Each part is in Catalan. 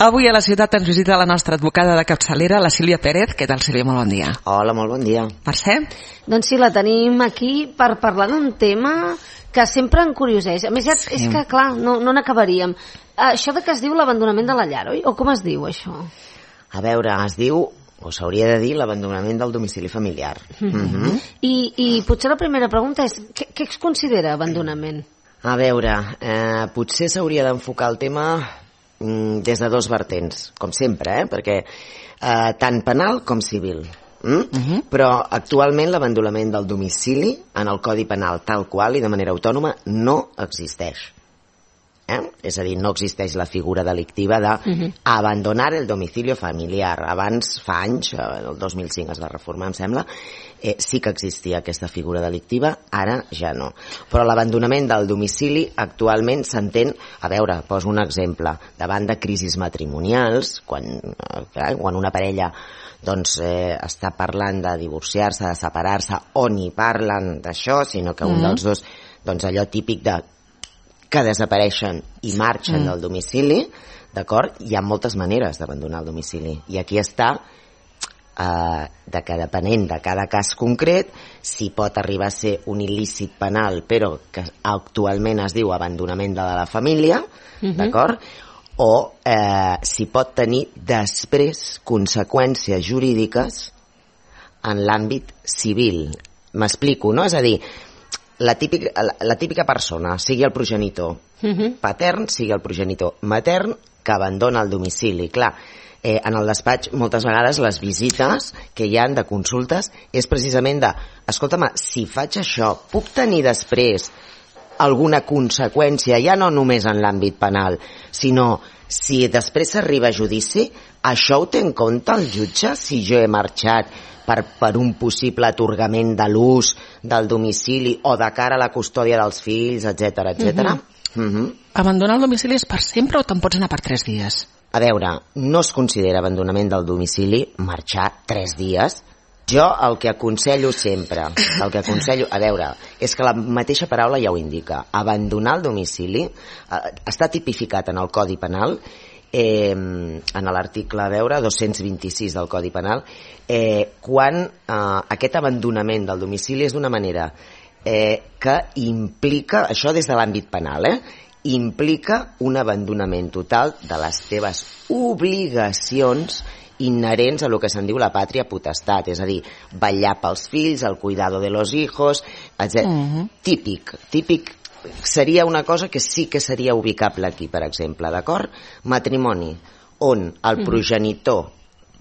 Avui a la ciutat ens visita la nostra advocada de capçalera, la Sílvia Pérez. Què tal, Sílvia? Molt bon dia. Hola, molt bon dia. Mercè? Doncs sí, la tenim aquí per parlar d'un tema que sempre em curioseix. A més, ja, és que, clar, no n'acabaríem. Això de que es diu l'abandonament de la llar, oi? O com es diu, això? A veure, es diu, o s'hauria de dir, l'abandonament del domicili familiar. I potser la primera pregunta és, què es considera abandonament? A veure, potser s'hauria d'enfocar el tema des de dos vertents, com sempre, perquè tant penal com civil. Però actualment l'abandonament del domicili en el Codi Penal tal qual i de manera autònoma no existeix. És a dir, no existeix la figura delictiva d'abandonar el domicilio familiar. Abans, fa anys, el 2005 es va reformar, em sembla, sí que existia aquesta figura delictiva, ara ja no. Però l'abandonament del domicili actualment s'entén, a veure, poso un exemple, davant de crisis matrimonials, quan una parella doncs està parlant de divorciar-se, de separar-se, o ni parlen d'això, sinó que un dels dos, doncs allò típic de que desapareixen i marxen del domicili, d'acord? Hi ha moltes maneres d'abandonar el domicili. I aquí està que depenent de cada cas concret, si pot arribar a ser un il·lícit penal, però que actualment es diu abandonament de la família, d'acord? O si pot tenir després conseqüències jurídiques en l'àmbit civil. M'explico, no? És a dir, la típica persona, sigui el progenitor patern, sigui el progenitor matern, que abandona el domicili. Clar, en el despatx moltes vegades les visites que hi han de consultes és precisament de, escolta'm, si faig això, puc tenir després alguna conseqüència, ja no només en l'àmbit penal, sinó si després s'arriba a judici, això ho té en compte el jutge si jo he marxat per un possible atorgament de l'ús del domicili o de cara a la custòdia dels fills, etc etc. Abandonar el domicili és per sempre o te'n pots anar per 3 dies? A veure, no es considera abandonament del domicili marxar 3 dies. Jo el que aconsello sempre, a veure, és que la mateixa paraula ja ho indica. Abandonar el domicili està tipificat en el Codi Penal, en l'article, a veure, 226 del Codi Penal, quan aquest abandonament del domicili és d'una manera que implica, això des de l'àmbit penal, implica un abandonament total de les teves obligacions inherents a lo que se'n diu la pàtria potestat, és a dir, vetllar pels fills, el cuidado de los hijos, etc. Típic seria una cosa que sí que seria ubicable aquí, per exemple, d'acord? Matrimoni, on el progenitor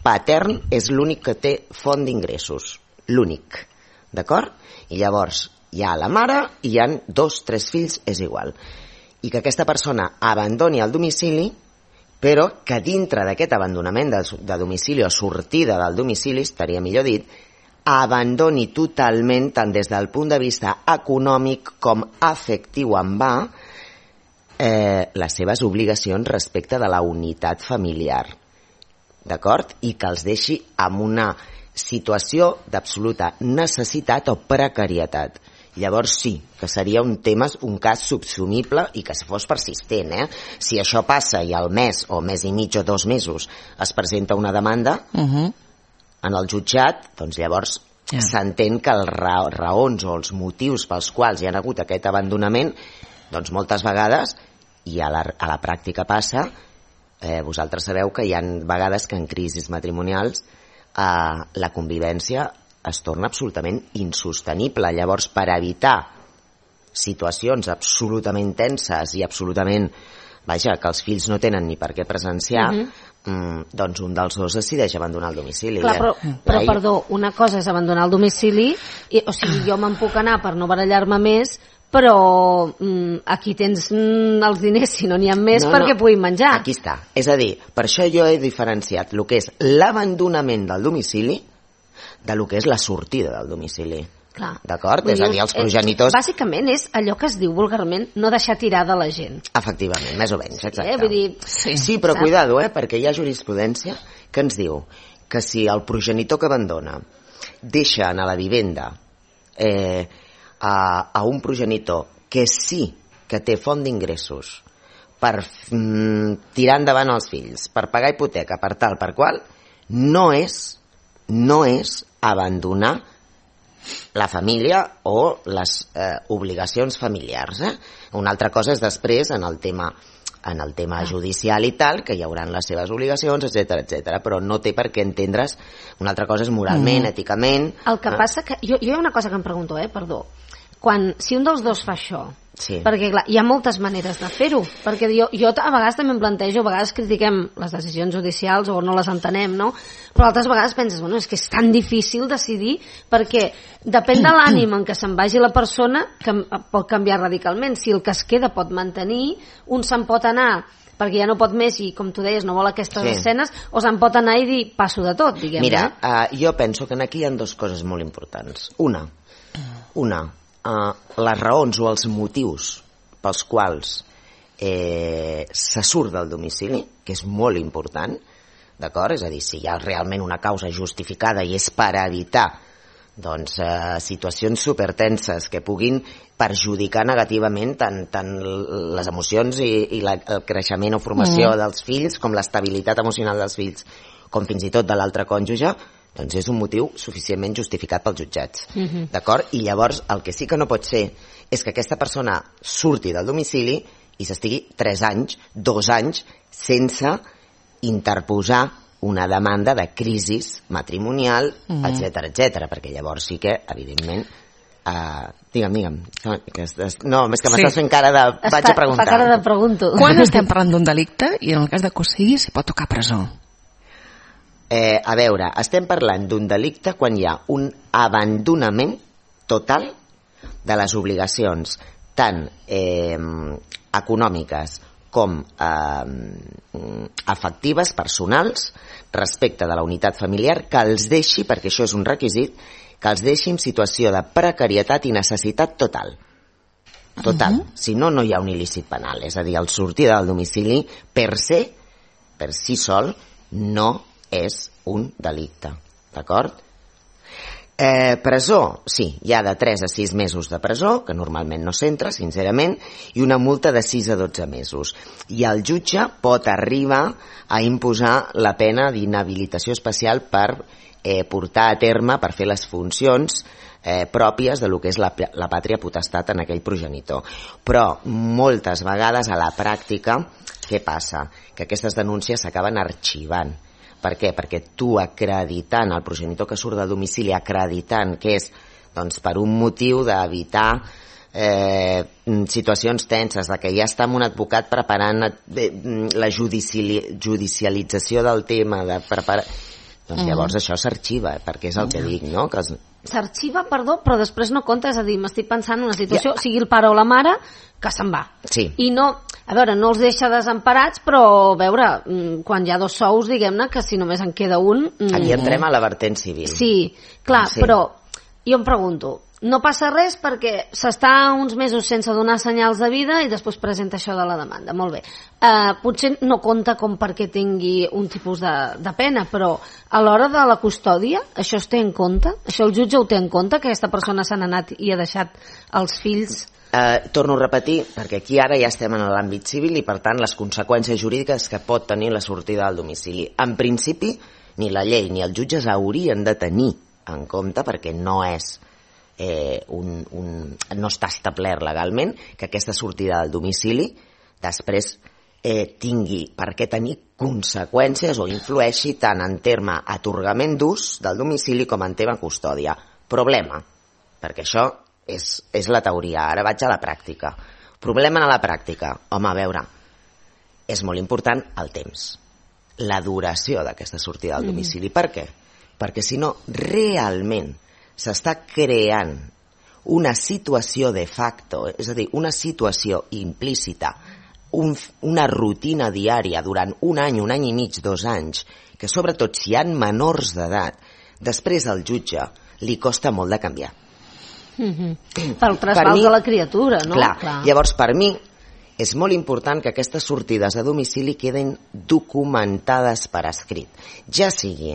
patern és l'únic que té font d'ingressos, l'únic, d'acord? I llavors hi ha la mare i hi ha 2, 3 fills, és igual. I que aquesta persona abandoni el domicili, però que dintre d'aquest abandonament de domicili o sortida del domicili, estaria millor dit, abandoni totalment, tant des del punt de vista econòmic com afectiu en va, les seves obligacions respecte de la unitat familiar, d'acord? I que els deixi en una situació d'absoluta necessitat o precarietat. Llavors sí, que seria un cas subsumible i que fos persistent. Si això passa i al mes o mes i mig o 2 mesos es presenta una demanda en el jutjat, doncs llavors s'entén que les raons o els motius pels quals hi ha hagut aquest abandonament, doncs moltes vegades, i a la pràctica passa, vosaltres sabeu que hi ha vegades que en crisis matrimonials la convivència es torna absolutament insostenible. Llavors, per evitar situacions absolutament tenses i absolutament, vaja, que els fills no tenen ni per què presenciar, doncs un dels dos decideix abandonar el domicili. Clar, però perdó, una cosa és abandonar el domicili, o sigui, jo me'n puc anar per no barallar-me més, però aquí tens els diners, si no n'hi ha més, perquè puguin menjar. Aquí està. És a dir, per això jo he diferenciat el que és l'abandonament del domicili de lo que és la sortida del domicili. D'acord? És a dir, els progenitors... Bàsicament és allò que es diu vulgarment no deixar tirada la gent. Efectivament, més o menys, exacte. Vull dir, sí, però cuidado, perquè hi ha jurisprudència que ens diu que si el progenitor que abandona deixa anar a la vivenda a un progenitor que sí que té font d'ingressos per tirar endavant els fills, per pagar hipoteca, per tal, per qual, no és abandonar la família o les obligacions familiars. Una altra cosa és després en el tema judicial i tal, que hi hauran les seves obligacions, etc, però no té per què entendre's. Una altra cosa és moralment, èticament. El que passa que... Jo hi ha una cosa que em pregunto, perdó. Si un dels dos fa això, perquè clar, hi ha moltes maneres de fer-ho, perquè jo a vegades també em plantejo, a vegades critiquem les decisions judicials o no les entenem, no? Però altres vegades penses, és que és tan difícil decidir, perquè depèn de l'ànim en què se'n vagi la persona, que pot canviar radicalment. Si el que es queda pot mantenir, un se'n pot anar perquè ja no pot més i, com tu deies, no vol aquestes escenes, o se'n pot anar i dir, passo de tot, diguem. Mira, jo penso que aquí hi ha dues coses molt importants. Una, les raons o els motius pels quals se surt del domicili, que és molt important, d'acord? És a dir, si hi ha realment una causa justificada i és per evitar situacions supertenses que puguin perjudicar negativament tant les emocions i el creixement o formació dels fills, com l'estabilitat emocional dels fills, com fins i tot de l'altre cònjuge, doncs és un motiu suficientment justificat pels jutjats. D'acord? I llavors el que sí que no pot ser és que aquesta persona surti del domicili i s'estigui 3 anys, 2 anys, sense interposar una demanda de crisi matrimonial, etc, perquè llavors sí que, evidentment, digue'm. No, és que m'estàs fent cara de... Vaig a preguntar. Fa cara de pregunto. Quan estem parlant d'un delicte i en el cas de cossigui s'hi pot tocar presó? A veure, estem parlant d'un delicte quan hi ha un abandonament total de les obligacions tant econòmiques com afectives, personals, respecte de la unitat familiar, que els deixi, perquè això és un requisit, que els deixi en situació de precarietat i necessitat total. Total. Si no, no hi ha un il·lícit penal. És a dir, el sortir del domicili per si sol, no és un delicte, d'acord? Presó, sí, hi ha de 3 a 6 mesos de presó, que normalment no s'entra, sincerament, i una multa de 6 a 12 mesos. I el jutge pot arribar a imposar la pena d'inhabilitació especial per portar a terme, per fer les funcions pròpies de lo que és la pàtria potestat en aquell progenitor. Però moltes vegades a la pràctica, què passa? Que aquestes denúncies s'acaben arxivant. Per què? Perquè tu acreditant, el progenitor que surt del domicili acreditant que és per un motiu d'evitar situacions tenses, de que ja està amb un advocat preparant la judicialització del tema, de preparar... Doncs llavors això s'arxiva, perquè és el que dic, no? S'arxiva, perdó, però després no compta, és a dir, m'estic pensant en una situació, sigui el pare o la mare, que se'n va. Sí. I no, a veure, no els deixa desemparats, però, a veure, quan hi ha 2 sous, diguem-ne, que si només en queda un... Aquí entrem a la vertent civil. Sí, clar, però jo em pregunto, no passa res perquè s'està uns mesos sense donar senyals de vida i després presenta això de la demanda. Molt bé. Potser no compta com perquè tingui un tipus de pena, però a l'hora de la custòdia això es té en compte? Això el jutge ho té en compte, que aquesta persona se n'ha anat i ha deixat els fills... Torno a repetir, perquè aquí ara ja estem en l'àmbit civil i per tant les conseqüències jurídiques que pot tenir la sortida del domicili. En principi, ni la llei ni els jutges haurien de tenir en compte, perquè no és no està establert legalment que aquesta sortida del domicili després tingui per què tenir conseqüències o influeixi tant en terme atorgament d'ús del domicili com en tema custòdia. Problema, perquè això és la teoria, ara vaig a la pràctica. Problema a la pràctica, home, a veure, és molt important el temps, la duració d'aquesta sortida del domicili. Per què? Perquè si no, realment s'està creant una situació de facto, és a dir, una situació implícita, una rutina diària durant un any i mig, 2 anys, que sobretot si hi ha menors d'edat, després al jutge li costa molt de canviar. Pel trasbals de la criatura, no? Clar. Llavors, per mi, és molt important que aquestes sortides a domicili queden documentades per escrit. Ja sigui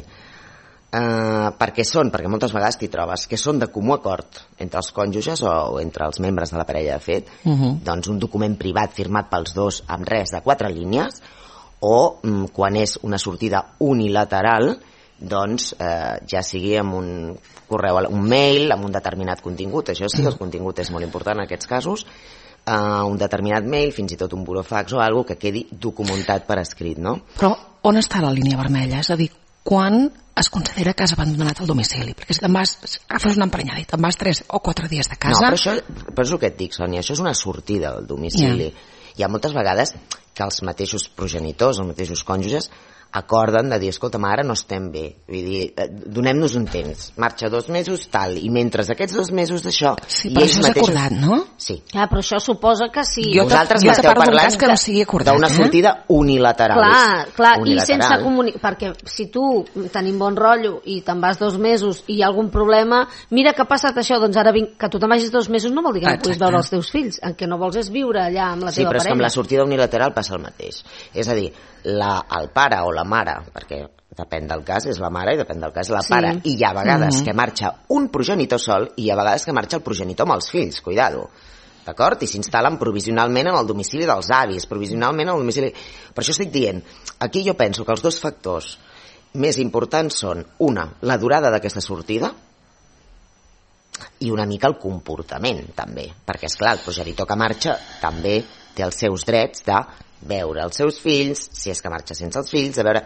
Perquè moltes vegades t'hi trobes que són de comú acord entre els cònjuges o entre els membres de la parella de fet, doncs un document privat firmat pels dos amb res de 4 línies, o quan és una sortida unilateral, doncs ja sigui amb un correu, un mail amb un determinat contingut. Això sí que el contingut és molt important en aquests casos, un determinat mail, fins i tot un burofax o alguna que quedi documentat per escrit, no? Però on està la línia vermella? És a dir, quan es considera que has abandonat el domicili? Perquè si te'n vas, agafes una emprenyada i te'n vas 3 o 4 dies de casa... No, però és el que et dic, Sònia, això és una sortida del domicili. Hi ha moltes vegades que els mateixos progenitors, els mateixos cònjuges, acorden de dir, escolta, ara no estem bé, vull dir, donem-nos un temps, marxa 2 mesos, tal, i mentre aquests 2 mesos d'això... Sí, però això és acordat, no? Sí. Però això suposa que sí. Vosaltres m'esteu parlant que no sigui acordat, d'una sortida unilateral. Clar, i sense comunicar, perquè si tu tenim bon rotllo i te'n vas 2 mesos i hi ha algun problema, mira que ha passat això, doncs ara vinc, que tu te'n vagis 2 mesos no vol dir que no puguis veure els teus fills, el que no vols és viure allà amb la teva parella. Sí, però és que amb la sortida unilateral passa el mateix. És a dir, el pare o la mare, perquè depèn del cas, és la mare i depèn del cas la pare, i hi ha vegades que marxa un progenitor sol i hi ha vegades que marxa el progenitor amb els fills, cuidado, d'acord? I s'instal·len provisionalment en el domicili dels avis, provisionalment en el domicili... Per això estic dient, aquí jo penso que els 2 factors més importants són, una, la durada d'aquesta sortida, i una mica el comportament, també, perquè, esclar, el progenitor que marxa també té els seus drets de veure els seus fills, si és que marxa sense els fills, de veure...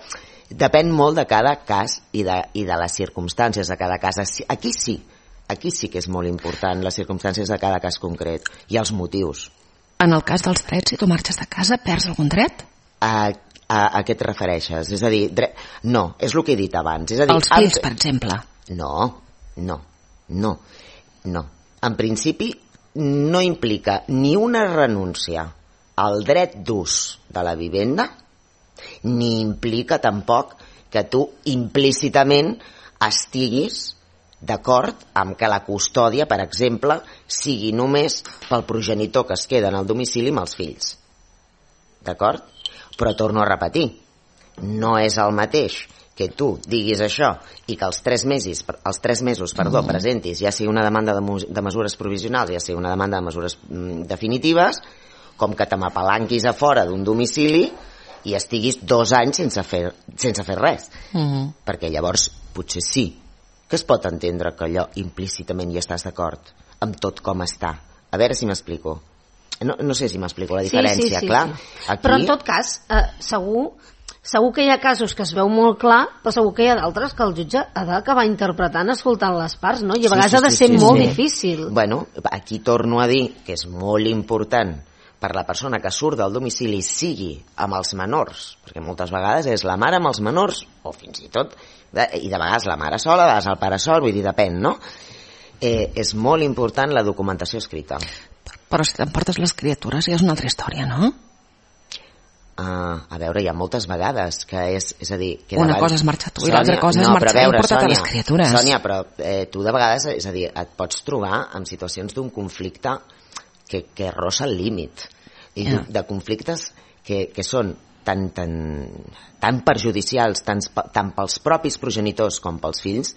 Depèn molt de cada cas i de les circumstàncies de cada cas. Aquí sí que és molt important les circumstàncies de cada cas concret i els motius. En el cas dels drets, si tu marxes de casa, perds algun dret? A què et refereixes? És a dir, no, és el que he dit abans. És a dir, els fills, per exemple. No. En principi, no implica ni una renúncia al dret d'ús de la vivenda, ni implica tampoc que tu implícitament estiguis d'acord amb que la custòdia, per exemple, sigui només pel progenitor que es queda en el domicili amb els fills. D'acord? Però torno a repetir, no és el mateix que tu diguis això i que els 3 mesos presentis ja sigui una demanda de mesures provisionals, ja sigui una demanda de mesures definitives, com que te m'apalanquis a fora d'un domicili i estiguis 2 anys sense fer res. Perquè llavors potser sí que es pot entendre que allò implícitament hi estàs d'acord amb tot com està. A veure si m'explico. No sé si m'explico la diferència, clar. Aquí... Però en tot cas, segur que hi ha casos que es veu molt clar, però segur que hi ha d'altres que el jutge ha d'acabar interpretant escoltant les parts, no? I a vegades ha de ser molt difícil. Bueno, aquí torno a dir que és molt important per la persona que surt del domicili sigui amb els menors, perquè moltes vegades és la mare amb els menors, o fins i tot, i de vegades la mare sola, de vegades el pare sol, vull dir, depèn, no? És molt important la documentació escrita. Però si t'emportes les criatures ja és una altra història, no? A veure, hi ha moltes vegades que és a dir... Que una cosa és marxar tu i l'altra cosa és marxar i portar-te les criatures. Sònia, però tu de vegades, és a dir, et pots trobar en situacions d'un conflicte que rossa el límit i de conflictes que són tan perjudicials tant pels propis progenitors com pels fills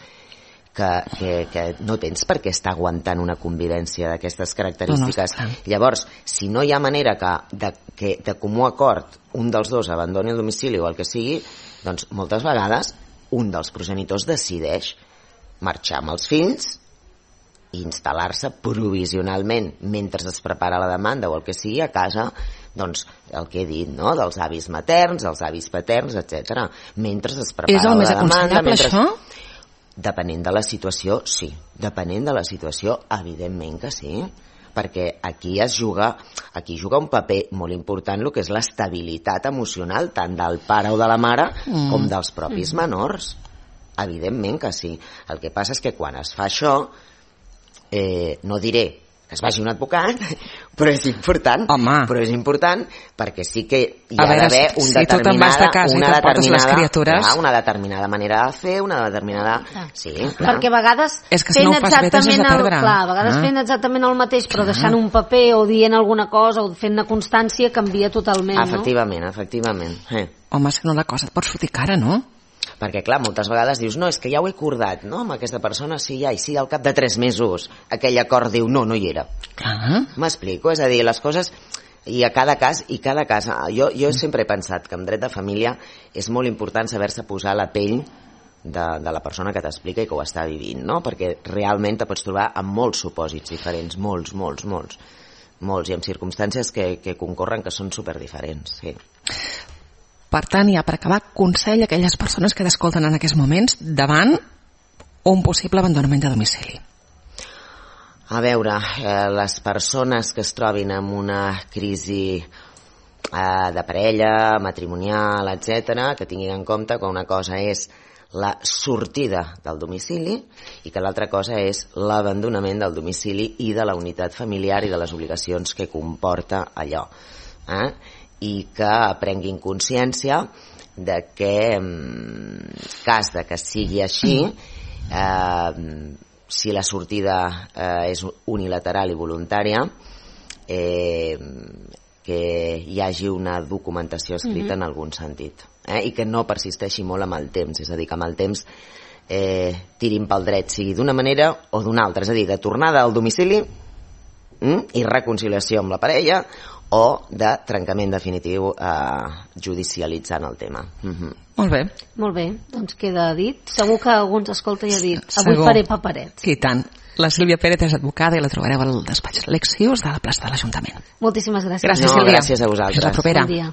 que no tens per què estar aguantant una convivència d'aquestes característiques. Llavors, si no hi ha manera que de comú acord un dels dos abandoni el domicili o el que sigui, doncs moltes vegades un dels progenitors decideix marxar amb els fills i instal·lar-se provisionalment mentre es prepara la demanda o el que sigui a casa, doncs el que he dit, no? Dels avis materns, dels avis paterns, etc. Mentre es prepara la demanda. És el més aconsellable, això? Depenent de la situació, sí. Depenent de la situació, evidentment que sí. Perquè aquí juga un paper molt important el que és l'estabilitat emocional tant del pare o de la mare com dels propis menors. Evidentment que sí. El que passa és que quan es fa això, no diré que es vagi un advocat, però és important. Home. Però és important perquè sí que hi ha d'haver una determinada manera de fer, una determinada... Sí, clar. Perquè a vegades és que si no ho fas bé t'has de perdre. A vegades fent exactament el mateix, però deixant un paper o dient alguna cosa o fent una constància canvia totalment, no? Efectivament. Home, si no la cosa et pots fotre cara, no? Perquè, clar, moltes vegades dius, no, és que ja ho he acordat, no?, amb aquesta persona, sí, ja, i sí, al cap de 3 mesos aquell acord diu, no hi era. M'explico? És a dir, les coses... I a cada cas, jo sempre he pensat que en dret de família és molt important saber-se posar la pell de la persona que t'explica i que ho està vivint, no? Perquè realment te pots trobar amb molts supòsits diferents, molts, i amb circumstàncies que concorren que són superdiferents, sí. Per tant, ja per acabar, consell a aquelles persones que t'escolten en aquests moments davant un possible abandonament de domicili. A veure, les persones que es trobin en una crisi de parella, matrimonial, etc., que tinguin en compte que una cosa és la sortida del domicili i que l'altra cosa és l'abandonament del domicili i de la unitat familiar i de les obligacions que comporta allò. I que prenguin consciència de que, en cas de que sigui així, si la sortida és unilateral i voluntària, que hi hagi una documentació escrita en algun sentit, i que no persisteixi molt amb el temps, és a dir, que amb el temps tirin pel dret, sigui d'una manera o d'una altra, és a dir, de tornada al domicili i reconciliació amb la parella, o de trencament definitiu judicialitzant el tema. Molt bé. Molt bé, doncs queda dit. Segur que algú ens escolta i ha dit, avui faré paperets. I tant. La Sílvia Pérez és advocada i la trobareu al despatx Lexius de la plaça de l'Ajuntament. Moltíssimes gràcies. Gràcies, Sílvia. Gràcies a vosaltres. Fins la propera. Bon dia.